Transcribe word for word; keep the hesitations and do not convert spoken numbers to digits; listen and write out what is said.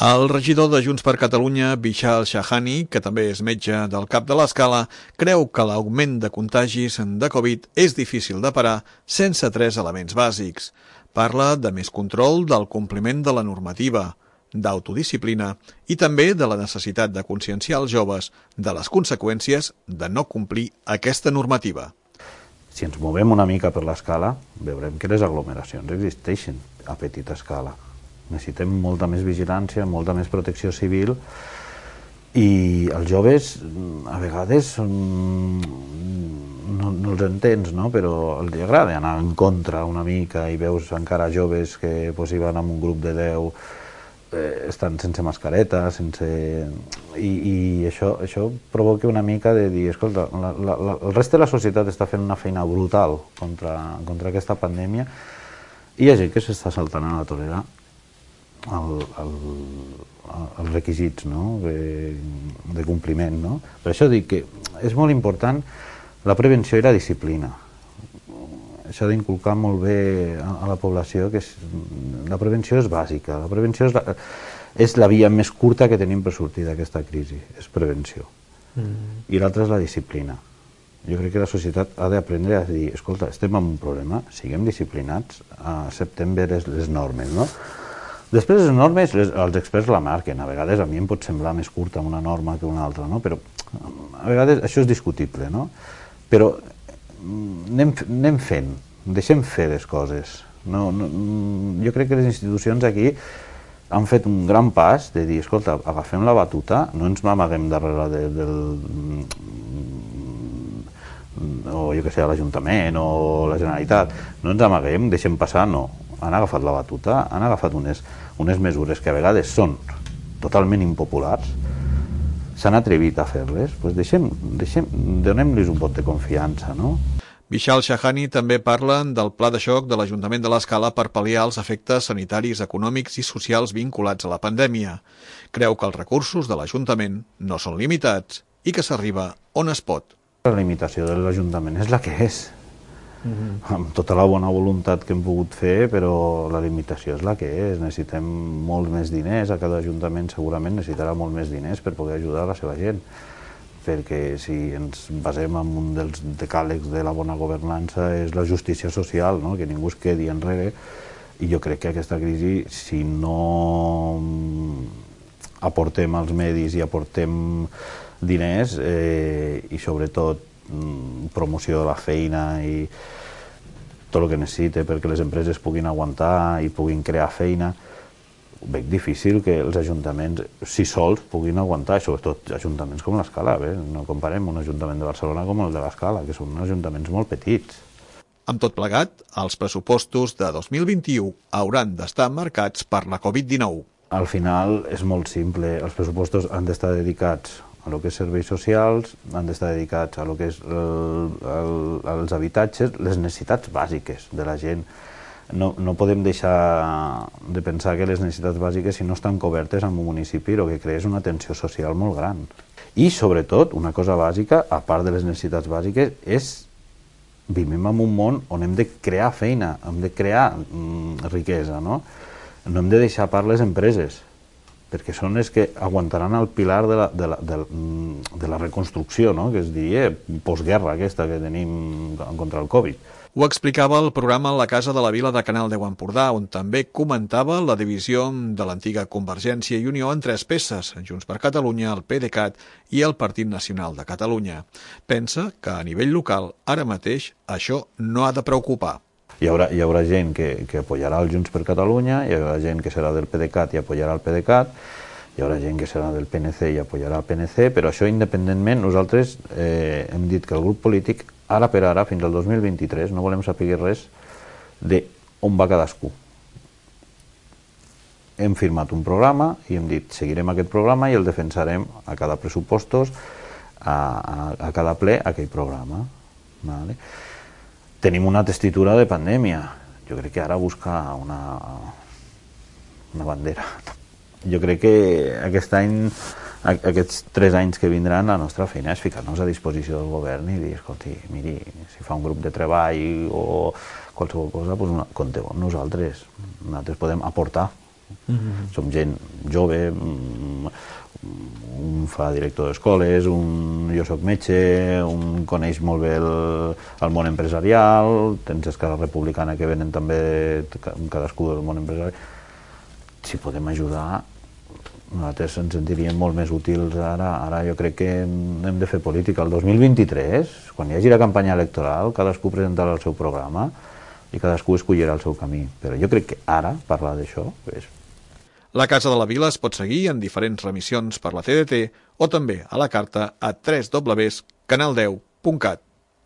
El regidor de Junts per Catalunya, Vishal Shahani, que també és metge del Cap de l'Escala, creu que l'augment de contagis de Covid és difícil de parar sense tres elements bàsics. Parla de més control del compliment de la normativa, d'autodisciplina i també de la necessitat de conscienciar els joves de les conseqüències de no complir aquesta normativa. Si ens movem una mica per l'escala, veurem que les aglomeracions existeixen a petita escala. Necessitem molta més vigilància, molta més protecció civil i els joves a vegades són... no, no els entens, no? Però els agrada anar en contra una mica i veus encara joves que pues, hi van amb un grup de deu, eh, estan sense mascareta, sense... I, i això, això provoca una mica de dir, escolta, la, la, la, el rest de la societat està fent una feina brutal contra, contra aquesta pandèmia i hi ha gent que s'està saltant a la torera El, el, els requisits, no? de, de compliment. No? Per això dic que és molt important la prevenció i la disciplina. S'ha d'inculcar molt bé a, a la població que és, la prevenció és bàsica. La prevenció és la, és la via més curta que tenim per sortir d'aquesta crisi, és prevenció. Mm. I l'altra és la disciplina. Jo crec que la societat ha d'aprendre a dir, escolta, estem amb un problema, siguem disciplinats, acceptem bé les, les normes, no? Després les normes, les, els experts la marquen. A vegades a mi em pot semblar més curta una norma que una altra, no? Però a vegades això és discutible, no? Però anem, anem fent, deixem fer les coses. No, no, jo crec que les institucions aquí han fet un gran pas de dir, escolta, agafem la batuta, no ens n'amaguem darrere de, del... o jo que sé, l'Ajuntament o la Generalitat, no ens amaguem, deixem passar, no. Han agafat la batuta, han agafat unes, unes mesures que a vegades són totalment impopulars, s'han atrevit a fer-les, doncs deixem, deixem, donem-los un vot de confiança, no? Vishal Shahani també parla del pla de xoc de l'Ajuntament de l'Escala per pal·liar els efectes sanitaris, econòmics i socials vinculats a la pandèmia. Creu que els recursos de l'Ajuntament no són limitats i que s'arriba on es pot. La limitació de l'Ajuntament és la que és. Mm-hmm. Amb tota la bona voluntat que hem pogut fer, però la limitació és la que és. Necessitem molts més diners, a cada ajuntament segurament necessitarà molt més diners per poder ajudar a la seva gent, perquè si ens basem en un dels decàlegs de la bona governança és la justícia social, no? Que ningú es quedi enrere, i jo crec que aquesta crisi, si no aportem els medis i aportem diners eh, i sobretot promoció de la feina i tot el que necessita perquè les empreses puguin aguantar i puguin crear feina, veig difícil que els ajuntaments, si sols, puguin aguantar, sobretot ajuntaments com l'Escala, no comparem un ajuntament de Barcelona com el de l'Escala, que són ajuntaments molt petits. Amb tot plegat, els pressupostos de dos mil vint-i-u hauran d'estar marcats per la Covid dinou. Al final és molt simple, els pressupostos han d'estar dedicats a lo que és serveis socials, han d'estar dedicats a lo que és el, el, els habitatges, les necessitats bàsiques de la gent. No, no podem deixar de pensar que les necessitats bàsiques, si no estan cobertes en un municipi, el que crea és una tensió social molt gran. I, sobretot, una cosa bàsica, a part de les necessitats bàsiques, és vivim en un món on hem de crear feina, hem de crear mm, riquesa, no? No hem de deixar a part les empreses, perquè són les que aguantaran el pilar de la, de la, de, de la reconstrucció, no? Que es diria postguerra aquesta que tenim contra el Covid. Ho explicava el programa La Casa de la Vila de Canal deu Empordà, on també comentava la divisió de l'antiga Convergència i Unió en tres peces, Junts per Catalunya, el PDeCAT i el Partit Nacional de Catalunya. Pensa que a nivell local, ara mateix, això no ha de preocupar. Hi haurà, hi haurà gent que, que apoyarà el Junts per Catalunya, hi haurà gent que serà del PDeCAT i apoyarà el PDeCAT, hi haurà gent que serà del P N C i apoyarà el P N C, però això independentment, nosaltres eh, hem dit que el grup polític, ara per ara, fins al dos mil vint-i-tres, no volem saber res de on va cadascú. Hem firmat un programa i hem dit seguirem aquest programa i el defensarem a cada pressupostos, a, a, a cada ple, aquell programa. Vale? Tenim una tessitura de pandèmia. Jo crec que ara buscar una, una bandera. Jo crec que aquest any, aquests tres anys que vindran, la nostra feina és ficar-nos a disposició del govern i dir, escolti, miri, si fa un grup de treball o qualsevol cosa, doncs compteu amb nosaltres. Nosaltres podem aportar Mm-hmm. Som gent jove, un fa director d'escoles, un jo soc metge, un coneix molt bé el, el món empresarial, tens Esquerra Republicana que venen també cadascú del món empresarial. Si podem ajudar, nosaltres ens sentiríem molt més útils ara. Ara jo crec que hem de fer política. El dos mil vint-i-tres, quan hi hagi la campanya electoral, cadascú presentarà el seu programa i cadascú escollirà el seu camí. Però jo crec que ara parlar d'això és... La Casa de la Vila es pot seguir en diferents remissions per la T D T o també a la carta a w w w punt canal deu punt cat.